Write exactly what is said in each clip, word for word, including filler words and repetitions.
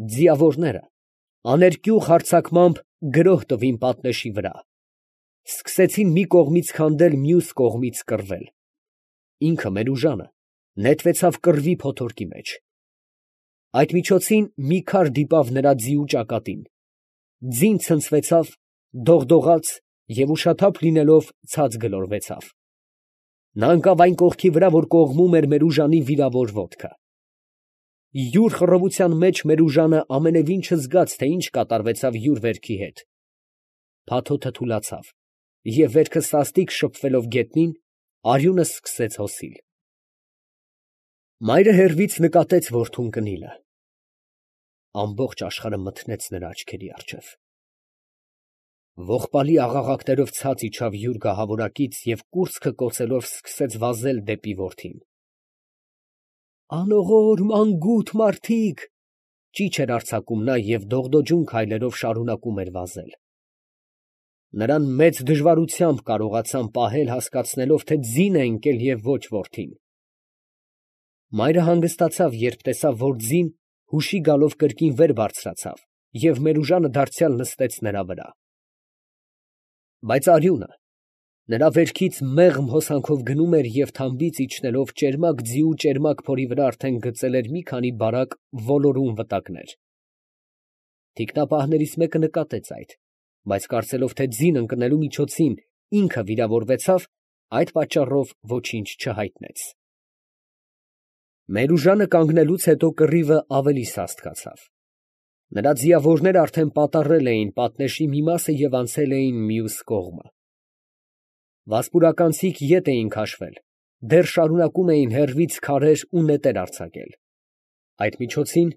Ձիավորները աներկյուղ հարձակմամբ գրոհ տվին պատնեշի վրա, սկսեցին մի կողմից քանդել, մյուս կողմից կռվել. ինքը Մերուժանը նետվեցավ կռվի փոթորկի մեջ. այդ միջոցին մի քար դիպավ նրա ձիու ճակատին, ձին ցնցվեցավ, դողդողաց և ուշաթափ լինելով ցած գլորվեցավ. նա ընկավ այն կողքի վրա, որ կողմում էր Մերուժանի վիրավոր ոտքը. յուր խռովության մեջ Մերուժանը ամենևին չզգաց, թե ինչ կատարվեցավ յուր վերքի հետ. փաթոթը թուլացավ, և վերքը սաստիկ շփվելով գետնին, արյունը սկսեց հոսիլ։ Մայրը հեռվից նկատեց որդուն կնիլը. ամբողջ աշխարհը մթնեց նրա աչքերի առջև։ Ողբալի աղաղակներով ցած իջավ յուր գահավորակից և կուրծքը կոծելով սկսեց վազել դեպի որդին։ «Անողոր, մանգութ մարդիկ», ճիչ էր արձակում նա և դողդոջուն քայլերով շարունակում էր վազել։ Նրան մեծ դժվարությամբ կարողացան պահել, հասկացնելով, թե ձին է ընկել և ոչ որդին։ Մայրը հանգստացավ, երբ տեսավ, որ ձին հուշի գալով կրկին վեր բարձրացավ և Մերուժանը դարձյալ նստեց նրա վրա։ Բայց արյունը նրա վերքից մեղմ հոսանքով գնում էր և թամբից իջնելով ճերմակ ձիու ճերմակ փորի վրա արդեն գծել էր մի քանի բարակ ոլորուն վտակներ։ Թիկնապահներից մեկը նկատեց այդ, բայց կարծելով, թե ձին ընկնելու միջոցին ինքը վիրավորվեցավ, այդ պատճառով ոչինչ չհայտնեց։ Մերուժանը կանգնելուց հետո կռիվը ավելի սաստկացավ։ Նրա ձիավորները արդեն պատառել էին պատնեշի մի մասը և անցել էին մյուս կողմը։ Վասպուրականցիք ետ էին քաշվել, դեռ շարունակում էին հեռվից քարեր ու նետեր արձակել։ Այդ միջոցին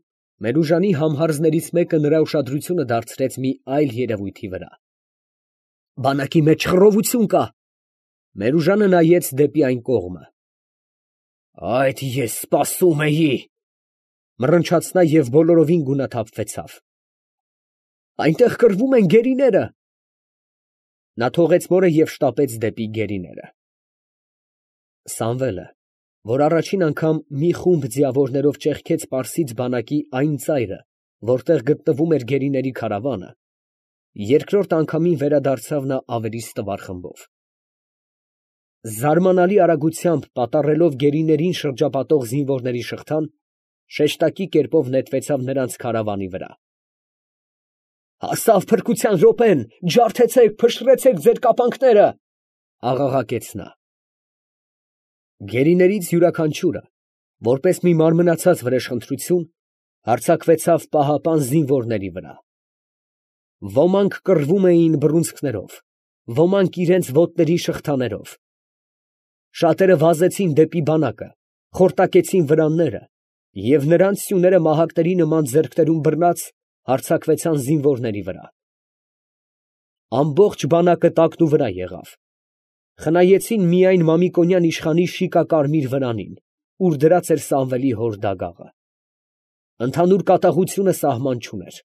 Մերուժանի համհարձներից մեկը նրա ուշադրությունը դարձրեց մի այլ երևույթի վրա։ «Բանակի մեջ խռովություն կա»։ Մերուժանը նայեց դեպի այն կողմը։ «Այդ ես սպասում էի», մռնչաց նա և բոլորովին գունաթափվեցավ։ «Այնտեղ կռվում են գերիները»։ Նա թողեց մորը և շտապեց դեպի գերիները։ Սամվելը, որ առաջին անգամ մի խումբ ձիավորներով ճեղքեց պարսից բանակի այն ծայրը, որտեղ գտնվում էր գերիների քարավանը, երկրորդ անգամին վերադարձավ նա ավելի ստվար խմբով։ Զարմանալի արագությամբ պատառելով գերիներին շրջապատող զինվորների շղթան, շեշտակի կերպով նետվեցավ նրանց քարավանի վրա։ «Հասավ փրկության րոպեն, ջարդեցեք, փշրեցեք ձեր կապանքները», աղաղակեց նա։ Գերիներից յուրաքանչյուրը, որպես մի մարմնացած վրեժխնդրություն, հարձակվեցավ պահապան զինվորների վրա։ Ոմանք կռվում էին բռունցքներով, ոմանք իրենց ոտների շղթաներով։ Շատերը վազեցին դեպի բանակը, խորտակեցին վրանները և նրանց սյուները մահակների նման ձեռքներում բռնած հարձակվեցան զինվորների վրա։ Ամբողջ բանակը տակնուվրա եղավ։ Խնայեցին միայն Մամիկոնյան իշխանի շիկակարմիր վրանին, ուր դրած էր Սամվելի հոր դագաղը։ Ընդհանուր կատաղությունը սահման չուներ։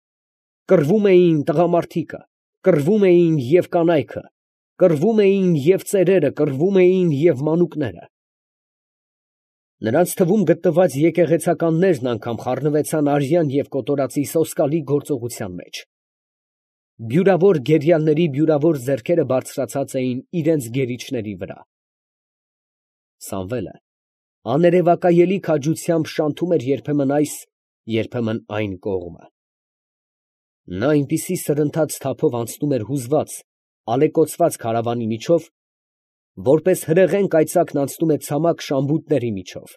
Կռվում էին տղամարդիկը, կռվում էին և կանայքը, կռվում էին և ծերերը, կռվում էին և մանուկները։ Նրանց թվում գտնված եկեղեցականներն անգամ խառնվեցան արյան և կոտորածի սոսկալի գործողության մեջ։ Բյուրավոր գերիալների բյուրավոր ձեռքերը բարձրացած էին իրենց գերիչների վրա։ Սամվելը աներևակայելի քաջությամբ շանթում էր երբեմն այս, երբեմն այն կողմը։ Նա այնպիսի սրընթաց թափով անցնում էր հուզված, ալեկոծված քարավանի միջով, որպես հրեղեն կայծակն անցնում է ցամաք շամբուտների միջով։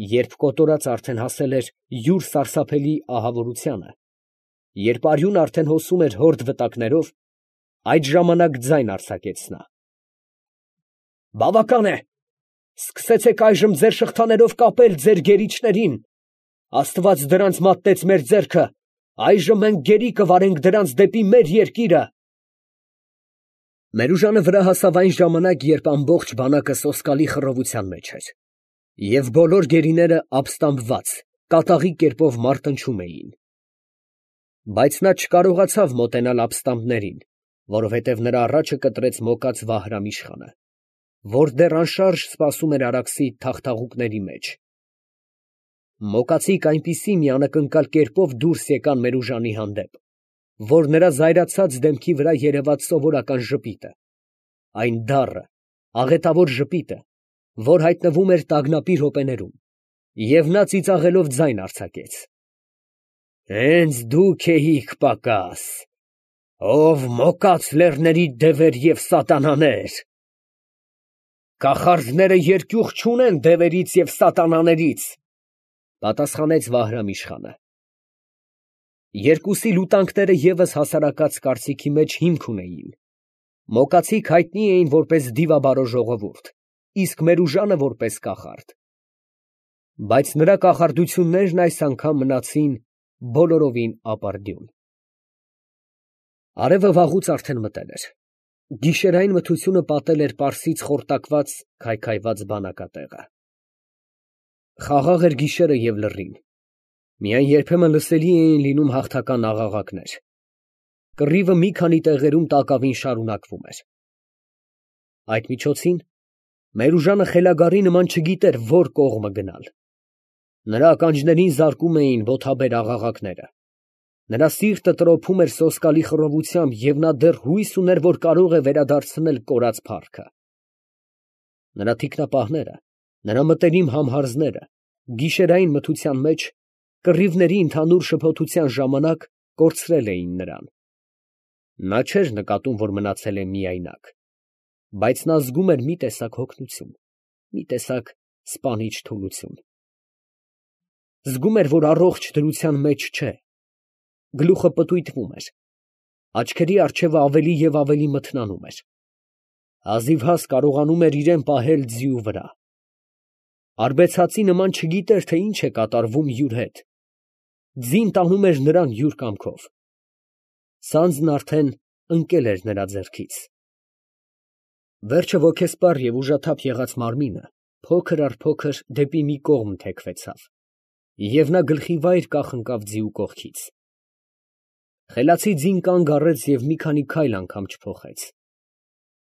Երբ կոտորածը արդեն հասել էր յուր սարսափելի ահավորությանը, երբ արյունը արդեն հոսում էր հորդ վտակներով, այդ ժամանակ ձայն արձակեց նա. «Բավական է. սկսեցեք այժմ ձեր շղթաներով կապել ձեր գերիչներին. Աստված դրանց մատնեց մեր ձեռքը, այժմ մենք գերի կվարենք դրանց դեպի մեր երկիրը»։ Մերուժանը վրա հասավ այն ժամանակ, երբ ամբողջ բանակը սոսկալի խռովության մեջ էր, և բոլոր գերիները ապստամբված, կատաղի կերպով մարտնչում էին։ Բայց նա չկարողացավ մոտենալ ապստամբներին, որովհետև նրա առաջը կտրեց մոկած Վահրամ իշխանը, որ դեռ անշարժ սպասում էր Արաքսի թախթաղուկների մեջ։ Մոկացիկ այնպիսի մի անակնկալ կերպով դուրս եկան Մերուժանի հանդեպ, որ նրա զայրացած դեմքի վրա երևաց սովորական ժպիտը, այն դառը, աղետավոր ժպիտը, որ հայտնվում էր տագնապի րոպեներում, և նա ծիծաղելով ձայն արձակեց. «Հենց դուք էիք պակաս, ով մոկած լեռների դևեր և սատանաներ»։ «Կախարդները երկյուղ չունեն դևերից և սատանաներից», պատասխանեց Վահրամ֊իշխանը։ Երկուսի լուտանքները ևս հասարակած կարծիքի մեջ հիմք ունեին. Մոկացիկ հայտնի էին որպես դիվաբարո ժողովուրդ, իսկ Մերուժանը որպես կախարդ. բայց նրա կախարդություններն այս անգամ մնացին բոլորովին ապարդյուն։ Արևը վաղուց արդեն մտել էր. գիշերային մթությունը պատել էր Պարսից խորտակված, քայքայված բանակատեղը։ Խաղաղ էր գիշերը և լռին, միայն երբեմն լսելի էին լինում հաղթական աղաղակներ։ Կռիվը մի քանի տեղերում տակավին շարունակվում էր։ Այդ միջոցին Մերուժանը խելագարի նման չգիտեր որ կողմը գնալ։ Նրա ականջներին զարկում էին ոտաբեր աղաղակները, նրա սիրտը տրոփում էր սոսկալի խռովությամբ և նա դեռ հույս ուներ, որ կարող է վերադարձնել կորած փառքը։ Նրա թիկնապահները, նրա մտերիմ համհարզները գիշերային մթության մեջ, կռիվների ընդհանուր շփոթության ժամանակ կորցրել էին նրան։ Նա չէր նկատում, որ մնացել է միայնակ, բայց նա զգում էր մի տեսակ հոգնություն, մի տեսակ սպանիչ թուլություն։ Զգում էր, որ առողջ դրության մեջ չէ, գլուխը պտույտվում էր, աչքերի առջևը ավելի և ավելի մթնանում էր, հազիվհազ կարողանում էր իրան պահել ձիու վրա։ Արբեցածի նման չգիտեր, թե ինչ է կատարվում յուր հետ, ձին տանում էր նրան յուր կամքով։ Սանձն արդեն ընկել էր նրա ձեռքից։ Վերջը ոգեսպառ և ուժաթափ եղած մարմինը փոքր առ փոքր դեպի մի կողմ թեքվեցավ, և նա գլխիվայր կախնկավ ձիու կողքից։ Խելացի ձին կանգ առեց և մի քանի քայլ անգամ չփոխեց։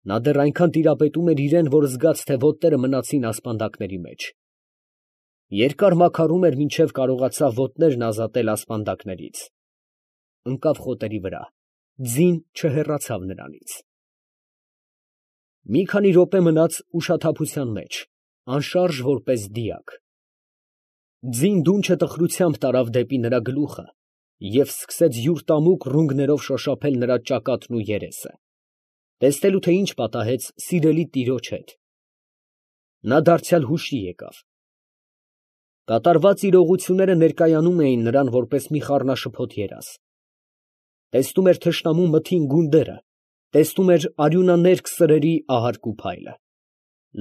Նա դեռ այնքան տիրապետում էր իրան, որ զգաց, թե ոտները մնացին ասպանդակների մեջ։ Երկար մաքարում էր, մինչև կարողացավ ոտներն ազատել ասպանդակներից։ Ընկավ խոտերի վրա, ձին չհեռացավ նրանից։ Մի քանի րոպե մնաց ուշաթափության մեջ, անշարժ որպես դիակ։ Ձին դունչը տխրությամբ տարավ դեպի նրա գլուխը և սկսեց յուր տամուկ ռունգներով շոշափել նրա ճակատն ու երեսը, տեսնելու, թե ինչ պատահեց սիրելի տիրոջ հետ։ Նա դարձյալ հուշի եկավ։ Կատարված իրողությունները ներկայանում էին նրան որպես մի խառնաշփոթ երազ։ Տեսնում էր թշնամու մթին գունդերը, տեսնում էր արյունաներկ սրերի ահարկ ու փայլը,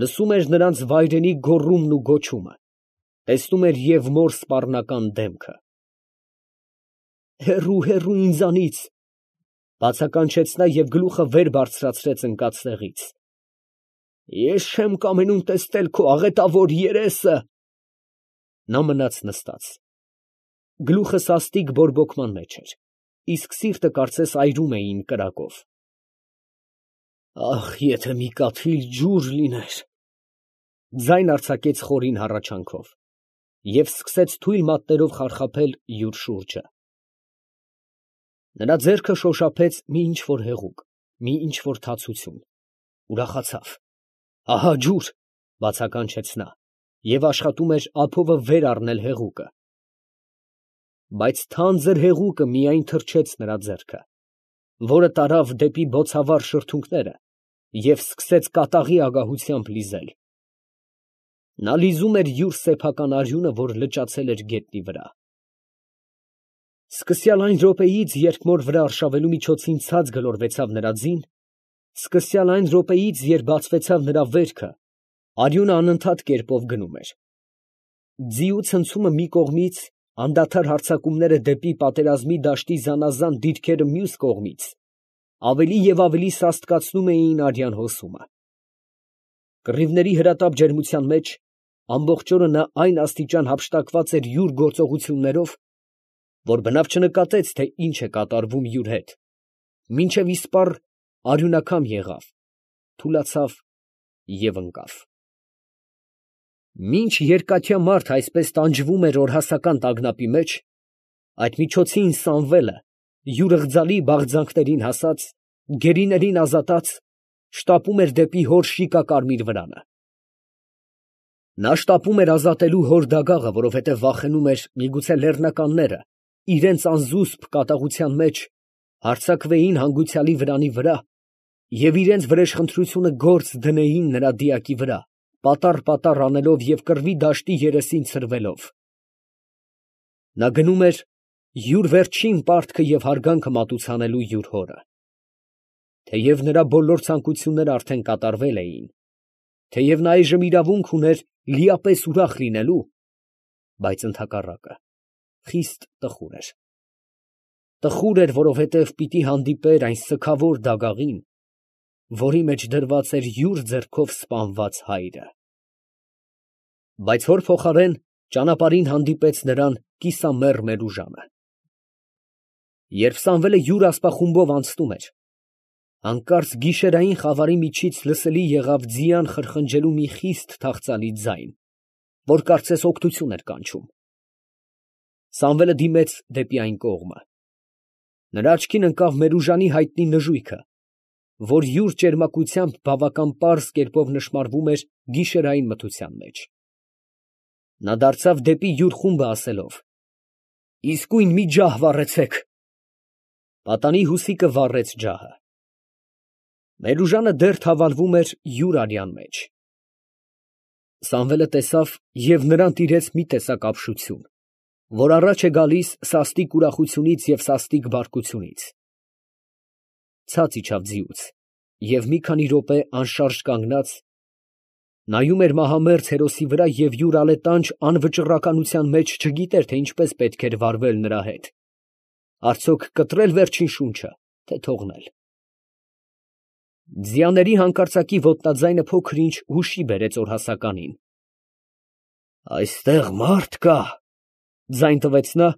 լսում էր նրանց վայրենի գոռումն ու գոչումը, տեսնում էր և մոր սպառնական դեմքը։ «Հեռու, հեռու ինձանից», բացականչեց նա և գլուխը վեր բարձրացրեց ընկած տեղից։ «Ես չեմ կամենում տեսնել քո աղետավոր երեսը»։ Նա մնաց նստած։ Գլուխը սաստիկ բորբոքման մեջ էր, իսկ սիրտը կարծես այրում էին կրակով։ «Ախ, եթե մի կաթիլ ջուր լիներ», ձայն արձակեց խորին հառաչանքով և սկսեց թույլ մատներով խարխափել յուր շուրջը։ Նրա ձեռքը շոշափեց մի ինչ֊որ հեղուկ, մի ինչ֊որ թացություն, ուրախացավ։ «Ահա ջուր», բացականչեց նա և աշխատում էր ափովը վեր առնել հեղուկը։ Բայց թանձր հեղուկը միայն թրջեց նրա ձեռքը, որը տարավ դեպի բոցավառ շրթունքները և սկսեց կատաղի ագահությամբ լիզել։ Նա լիզում էր յուր սեփական արյունը, որ լճացել էր գետնի վրա։ Սկսյալ այն րոպեից, երբ մոր վրա արշավելու միջոցին ցած գլորվեցավ նրա ձին, սկսյալ այն րոպեից, երբ բացվեցավ նրա վերքը, արյունը անընդհատ կերպով գնում էր։ Ձիու ցնցումը մի կողմից, անդադար հարձակումները դեպի պատերազմի դաշտի զանազան դիրքերը մյուս կողմից, ավելի և ավելի սաստկացնում էին արյան հոսումը։ Կռիվների հրատապ ջերմության մեջ ամբողջ օրը նա այն աստիճան հափշտակված էր յուր գործողություններով, որ բնավ չնկատեց, թե ինչ է կատարվում յուր հետ, մինչև իսպառ արյունակամ եղավ, թուլացավ և ընկավ։ Մինչ երկաթյա մարդ այսպես տանջվում էր օրհասական տագնապի մեջ, այդ միջոցին Սամվելը, յուր ըղձալի բաղձանքներին հասած, գերիներին ազատած, շտապում էր դեպի հոր շիկակարմիր վրանը։ Նա շտապում էր ազատելու հոր դագաղը, որովհետև վախենում էր, միգուցե լեռնականները իրենց անզուսպ կատաղության մեջ հարձակվեին հանգուցյալի վրանի վրա և իրենց վրեժխնդրությունը գործ դնեին նրա դիակի վրա, պատառ֊պատառ անելով և կռվի դաշտի երեսին ցրվելով։ Նա գնում էր յուր վերջին պարտքը և հարգանքը մատուցանելու յուր հորը։ Թեև նրա բոլոր ցանկությունները արդեն կատարվել էին, թեև նա այժմ իրավունք ուներ լիապես ուրախ լինելու, բայց ընդհակառակը խիստ տխուր էր։ Տխուր էր, որովհետև պիտի հանդիպեր այն սգավոր դագաղին, որի մեջ դրված էր յուր ձեռքով սպանված հայրը։ Բայց հոր փոխարեն ճանապարհին հանդիպեց նրան կիսամեռ Մերուժանը։ Երբ Սամվելը յուր ասպախումբով անցնում էր, հանկարծ գիշերային խավարի միջից լսելի եղավ ձիան խրխնջելու մի խիստ թախծալի ձայն, որ կարծես օգնություն էր կանչում։ Սամվելը դիմեց դեպի այն կողմը։ Նրա աչքին ընկավ Մերուժանի հայտնի նժույգը, որ յուր ճերմակությամբ բավական պարզ կերպով նշմարվում էր գիշերային մթության մեջ։ Նա դարձավ դեպի յուր խումբը, ասելով. «Իսկույն մի ջահ վառեցեք»։ Պատանի հուսիկը վառեց ջահը։ Մերուժանը դեռ թավալվում էր յուր արյան մեջ։ Սամվելը տեսավ և նրան տիրեց մի տեսակ ապշություն, որ առաջ է գալիս սաստիկ ուրախությունից և սաստիկ բարկությունից։ Ցած իջավ ձիուց և մի քանի րոպե անշարժ կանգնած, նայում էր մահամերձ հերոսի վրա և յուր ալետանջ անվճռականության մեջ չգիտեր, թե ինչպես պետք էր վարվել նրա հետ, արդյոք կտրել վերջին շունչը, թե թողնել։ Ձիաների հանկարծակի ոտնաձայնը փոքր ինչ հուշի բերեց օրհասականին։ «Այստեղ մարդ կա», ֊ ձայն տվեց նա,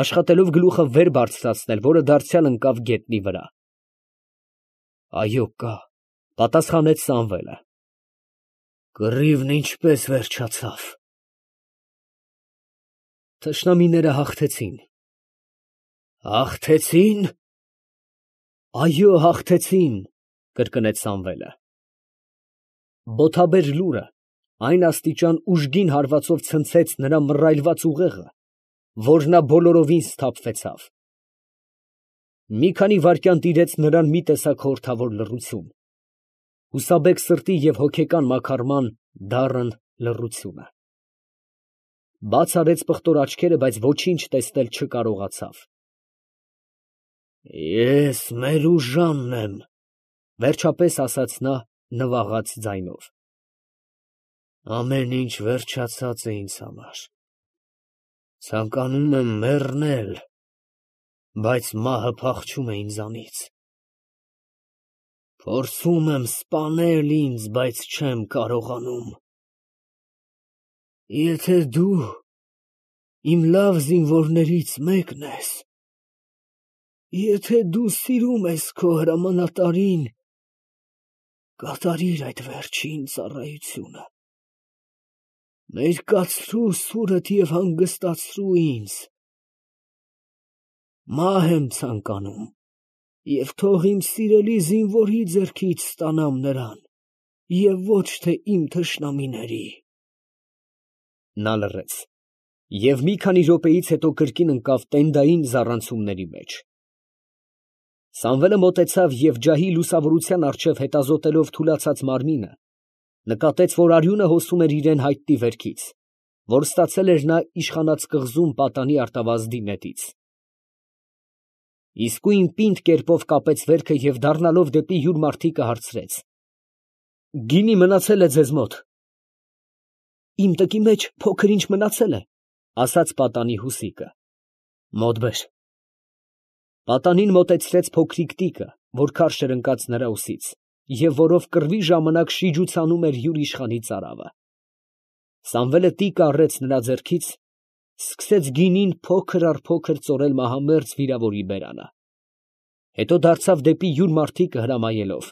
աշխատելով գլուխը վեր բարձրացնել, որը դարձյալ ընկավ գետնի վրա։ «Այո, կա», ֊ պատասխանեց Սամվելը։ «Կռիվն ինչպե՞ս վերջացավ»։ «Թշնամիները հաղթեցին»։ «Հաղթեցի՞ն»։ «Այո, հաղթեցին», ֊ կրկնեց Սամվելը։ Բոթաբեր լուրը այն աստիճան ուժգին հարվածով ցնցեց նրա մռայլված ուղեղը, որ նա բոլորովին սթափվեցավ։ Մի քանի վայրկյան տիրեց նրան մի տեսակ խորհրդավոր լռություն, հուսաբեկ սրտի և հոգեկան մաքարման դառն լռությունը։ Բաց արեց պղտոր աչքերը, բայց ոչինչ տեսնել չկարողացավ։ «Ես Մերուժանն եմ», ֊ վերջապես ասաց նա նվաղած ձայնով։ «Ամեն ինչ վերջացած է ինձ համար։ Ցանկանում եմ մեռնել, բայց մահը փախչում է ինձանից։ Փորձում եմ սպանել ինձ, բայց չեմ կարողանում։ Եթե դու իմ լավ զինվորներից մեկն ես, եթե դու սիրում ես քո հրամանատարին, կատարիր այդ վերջին ծառայությունը։ Մերկացրու սուրդ և հանգստացրու ինձ։ Մահ եմ ցանկանում և թող իմ սիրելի զինվորի ձեռքից ստանամ նրան և ոչ թե իմ թշնամիների»։ Նա լռեց և մի քանի րոպեից հետո կրկին ընկավ տենդային զառանցումների մեջ։ Սամվելը մոտեցավ և ջահի լուսավորության առջև հետազոտելով թուլացած մարմինը, նկատեց, որ արյունը հոսում էր իրան հայտնի վերքից, որ ստացել էր նա իշխանած կղզում պատանի արտավազդի նետից։ Իսկույն պինդ կերպով կապեց վերքը և դառնալով դեպի յուր մարդիկը հարցրեց. «Գինի մնացե՞լ է ձեզ մոտ»։ «Իմ տկի մեջ փոքր ինչ մնացել է», ֊ ասաց պատանի հուսիկը։ «Մոտ բեր»։ Պատանին մոտեցրեց փոքրիկ տիկը, որ քարշ էր ընկած նրա ուսից, և որով կռվի ժամանակ շիջուցանում էր յուր իշխանի ծարավը։ Սամվելը տիկը առեց նրա ձեռքից, սկսեց գինին փոքր առ փոքր ծորել մահամերձ վիրավորի բերանը, հետո դարձավ դեպի յուր մարդիկը հրամայելով.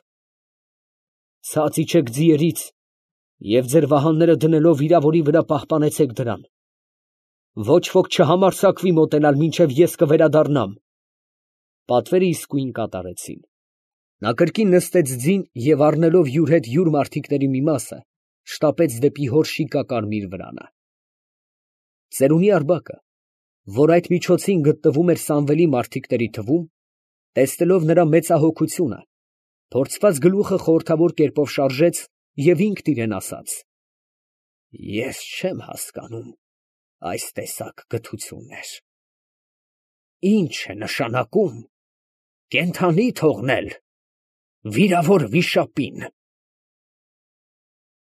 «Ցած իջեք ձիերից Եվ ձեր վահանները դնելով վիրավորի վրա պահպանեցեք դրան. ոչ ոք չհամարձակվի մոտենալ, մինչև ես կվերադառնամ։ Պատվերը իսկույն կատարեցին։ Նա կրկին նստեց ձին և առնելով յուր հետ յուր մարդիկների մի մասը, շտապեց դեպի հոր շիկակարմիր վրանը։ Ծերունի Արբակը, որ այդ միջոցին գտնվում էր Սամվելի մարդիկների թվում, տեսնելով նրա մեծահոգությունը, փորձված գլուխը խորհրդավոր կերպով շարժեց և ինքն իրան ասաց. «Ես չեմ հասկանում այս տեսակ գթություններ. ի՞նչ է նշանակում կենդանի թողնել վիրավոր վիշապին»։